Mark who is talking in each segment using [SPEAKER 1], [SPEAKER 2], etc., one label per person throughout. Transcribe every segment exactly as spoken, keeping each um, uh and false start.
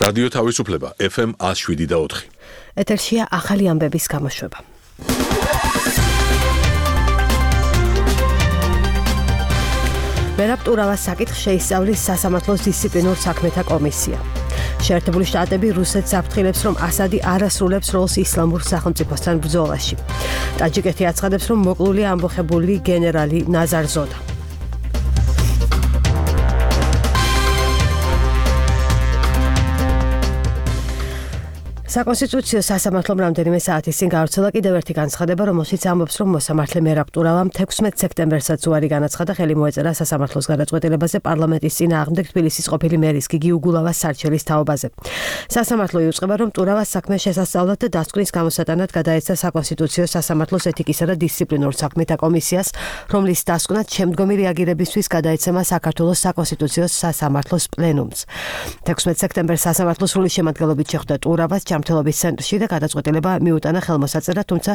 [SPEAKER 1] რადიო თავისუფლება ეფ ემ one oh seven და four.
[SPEAKER 2] ეთერშია ახალი ამბების გამოშვება. მერაბ ტურავას საკითხს შეისწავლის სასამართლოს დისციპლინურ საქმეთა კომისია. შეერთებული შტატები რუსეთს აფრთხილებს, რომ ასადი არ ასრულებს როლს ისლამურ სახელმწიფოსთან ბრძოლაში. ტაჯიკეთი აცხადებს, რომ მოკლულია ამბოხებული გენერალი ნაზარ ზოდა. საკონსტიტუციო სასამართლომ რამდენიმე საათის წინ გავრცელა კიდევ ერთი განცხადება, რომელშიც ამბობს, რომ მოსამართლე მერაბ ტურავამ თექვსმეტ სექტემბერსაც უარი განაცხადა ხელი მოეწერა სასამართლოს გადაწყვეტილებაზე პარლამენტის წინააღმდეგ თბილისის ყოფილი მერის გიგი უგულავას სარჩელის თაობაზე. სასამართლო იუწყება, რომ ტურავას საქმე შესასწავლად და დასკვნის გამოსატანად გადაეცა საკონსტიტუციო სასამართლოს ეთიკისა და დისციპლინურ საქმეთა კომისიას, რომლის დასკვნად შემდგომი რეაგირებისთვის გადაეცემა საქართველოს საკონსტიტუციო სასამართლოს პლენუმს. თექვსმეტ სექტემბერს სასამართლოს სრული შემადგენლობით შეხვდა ტურავას ჯანმრთელობის ცენტრში და გადაწყვეტილება მიუტანა ხელმოსაწერად, თუმცა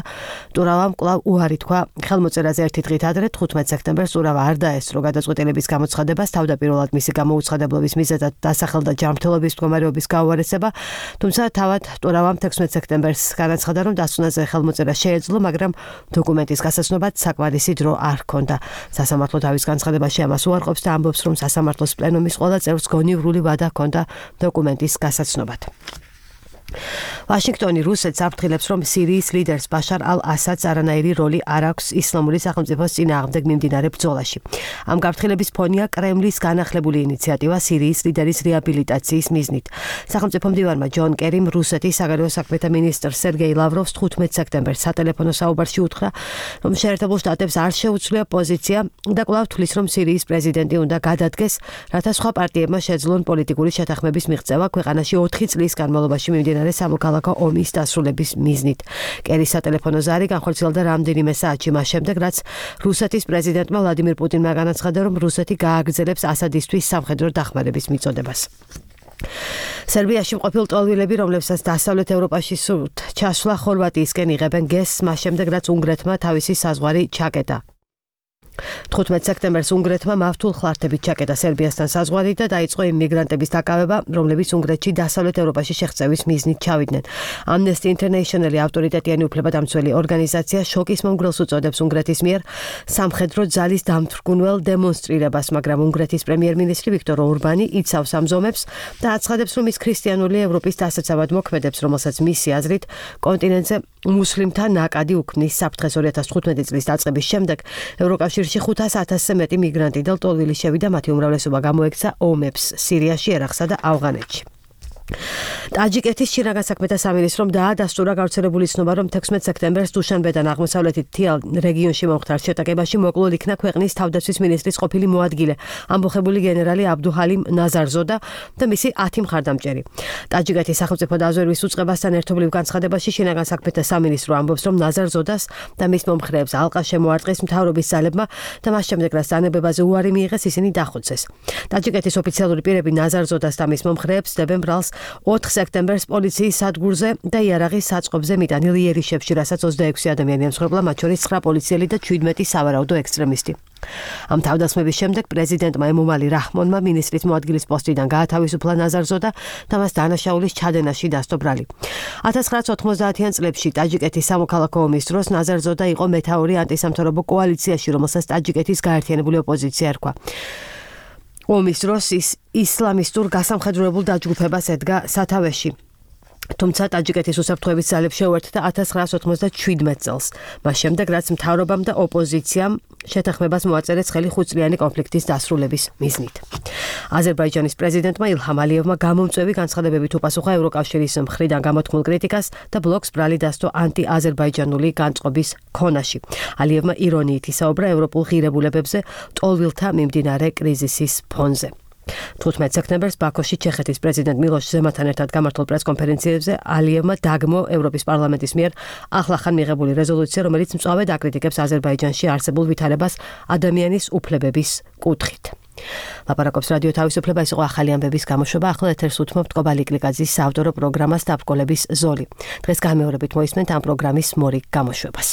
[SPEAKER 2] ტურავამ კვლავ უარი თქვა ხელმოწერაზე ერთი დღით ადრე თხუთმეტ სექტემბერს ტურავა არ დაესწრო გადაწყვეტილების გამოცხადებას, თავდაპირველად მისი გამოუცხადებლობის მიზეზად დასახელდა ჯანმრთელობის მდგომარეობის გაუარესება, თუმცა თავად ტურავამ თექვსმეტ სექტემბერს განაცხადა, რომ დასკვნაზე ხელმოწერა შეეძლო, მაგრამ დოკუმენტის გასაცნობად საკმარისი დრო არ ჰქონდა. სასამართლო თავის განცხადებაში ამას უარყოფს და ამბობს, რომ სასამართლოს პლენუმის ყველა წევრს გონივრული ვადა ჰქონდა დოკუმენტის გასაცნობად. ვაშინგტონი რუსეთს აფრთხილებს, რომ სირიის ლიდერს ბაშარ ალ-ასადს არანაირი როლი არ აქვს ისლამური სახელმწიფოს წინააღმდეგ მიმდინარე ბრძოლაში. ამ გაფრთხილების ფონია კრემლის განახლებული ინიციატივა სირიის ლიდერის რეაბილიტაციის მიზნით. სახელმწიფო მდივანმა ჯონ კერიმ რუსეთის საგარეო საქმეთა მინისტრ სერგეი ლავროვს თხუთმეტ სექტემბერს სატელეფონო საუბარში უთხრა, რომ შეერთებულ შტატებს არ შეუძლია პოზიცია და კვლავ თვლის, რომ სირიის პრეზიდენტი უნდა გადადგეს, რათა სხვა პარტიებმა შეძლონ პოლიტიკური შეთანხმების მიღწევა ქვეყანაში ოთხი წლის განმავლობაში მიმდინარე სამოქალაქო ომის დასრულების მიზნით. კერის სატელეფონო ზარი განხორციელდა რამდენიმე საათში მას შემდეგ, რაც რუსეთის პრეზიდენტმა ვლადიმირ პუტინმა განაცხადა, რომ რუსეთი გააგრძელებს ასადისთვის სამხედრო დახმარების მიწოდებას. სერბიაში მყოფილ ტოლვილები, რომლებსაც დასავლეთ ევროპაში სურთ ჩასვლა ხორვატიისკენ იღებენ გესს, მას შემდეგ, რაც უნგრეთმა თავისი საზღვარი ჩაკეტა. თხუთმეტ სექტემბერს უნგრეთმა მავთულ ხლართებით ჩაკეტა სერბიასთან საზღვარი და დაიწყო იმ მიგრანტების დაკავება, რომლებიც უნგრეთში დასავლეთ ევროპაში შეღწევის მიზნით ჩავიდნენ. Amnesty International-ი ავტორიტეტიანი უფლებადამცველი ორგანიზაცია შოკის მომგვრელს უწოდებს უნგრეთის მიერ სამხედრო ძალის დამთვრგუნველ დემონსტრირებას, მაგრამ უნგრეთის პრემიერ-მინისტრი ვიქტორ ორბანი იცავს ამ ზომებს და აცხადებს, რომ ის ქრისტიანული ევროპის დასაცავად მოქმედებს, რომელსაც მისი აზრით კონტინენტზე მუსლიმთა ნაკადი უქმნის. საფრთხეს ორი ათას თხუთმეტი წლის დაწყების შემდეგ ევროკავშირში ხუთას ათასზე მეტი მიგრანტი და ტოლვილი შევიდა, მათი უმრავლესობა გამოექცა ომებს სირიაში, ერაყსა და ავღანეთში. ტაჯიკეთის შინაგან საქმეთა სამინისტრომ დაადასტურა გავრცელებული ცნობა, რომ თექვსმეტ სექტემბერს დუშანბედან აღმოსავლეთით თიალ რეგიონში მომხდარ შეტაკებაში მოკლულ იქნა ქვეყნის თავდაცვის მინისტრის ყოფილი მოადგილე, ამბოხებული გენერალი აბდუჰალიმ ნაზარზოდა და მისი ათი მხარდამჭერი. ტაჯიკეთის სახელმწიფო დაზვერვის უწყებასთან ერთობლივ განცხადებაში შინაგან საქმეთა სამინისტრო ამბობს, რომ ნაზარზოდას და მის მომხრეებს ალყა შემოარტყეს მთავრობის ძალებმა და მას შემდეგ, რაც დანებებაზე უარი მიიღეს, ისინი დახოცეს. ტაჯიკეთის ოფიციალური პირები ნაზარზოდას და მის მომხრეებს დებენ ბრალს ოთხ სექტემბერს პოლიციის სადგურზე და იარაღის საწყობზე მიტანილ იერიშებში, რასაც ოცდაექვსი ადამიანი ემსხვერპლა, მათ შორის ცხრა პოლიციელი და ჩვიდმეტი სავარაუდო ექსტრემისტი. ამ თავდასხმების შემდეგ პრეზიდენტმა ემომალი რაჰმონმა მინისტრის მოადგილის პოსტიდან გაათავისუფლა ნაზარზოდა და მას დანაშაულის ჩადენაში დასდო ბრალი. ათას ცხრაასი ოცდაათიან წლებში ტაჯიკეთის სამოქალაქო ომის დროს ნაზარზოდა იყო მეთაური ანტისამთავრობო კოალიციაში, რომელსაც ტაჯიკეთის გაერთიანებული ოპოზიცია ერქვა. ომის დროს ის ისლამისტურ გასამხედროებულ დაჯგუფებას ედგა სათავეში. თუმცა ტაჯიკეთის უსაფრთხოების ძალებს შეუერთდა ათას ცხრაასი ოცდაშვიდმეტ წელს, მას შემდეგ, რაც მთავრობამ და ოპოზიციამ შეთანხმებას მოაწერეს ხელი ხუთწლიანი კონფლიქტის დასრულების მიზნით. აზერბაიჯანის პრეზიდენტმა ილჰამ ალიევმა გამომწვევი განცხადებებით უპასუხა ევროკავშირის მხრიდან გამოთქმულ კრიტიკას და ბლოკს ბრალი დასდო ანტიაზერბაიჯანული განწყობის ქონაში. ალიევმა ირონიით ისაუბრა ევროპულ ღირებულებებზე ტოლვილთა მიმდინარე კრიზისის ფონზე. თხუთმეტ სექტემბერს ბაქოში ჩეხეთის პრეზიდენტ მილოშ ზემანთან ერთად გამართულ პრესკონფერენციებზე ალიევმა დაგმო ევროპის პარლამენტის მიერ ახლახან მიღებული რეზოლუცია, რომელიც მწვავედ აკრიტიკებს აზერბაიჯანში არსებულ ვითარებას ადამიანის უფლებების კუთხით. ლაპარაკობს რადიო თავისუფლება, ის იყო ახალი ამბების გამოშვება. ახლა ეთერს უთმობთ კობალი კლიკაძის საავტორო პროგრამას დაბრკოლების ზოლი. დღეს გამეორებით მოისმენთ ამ პროგრამის მორიგ გამოშვებას.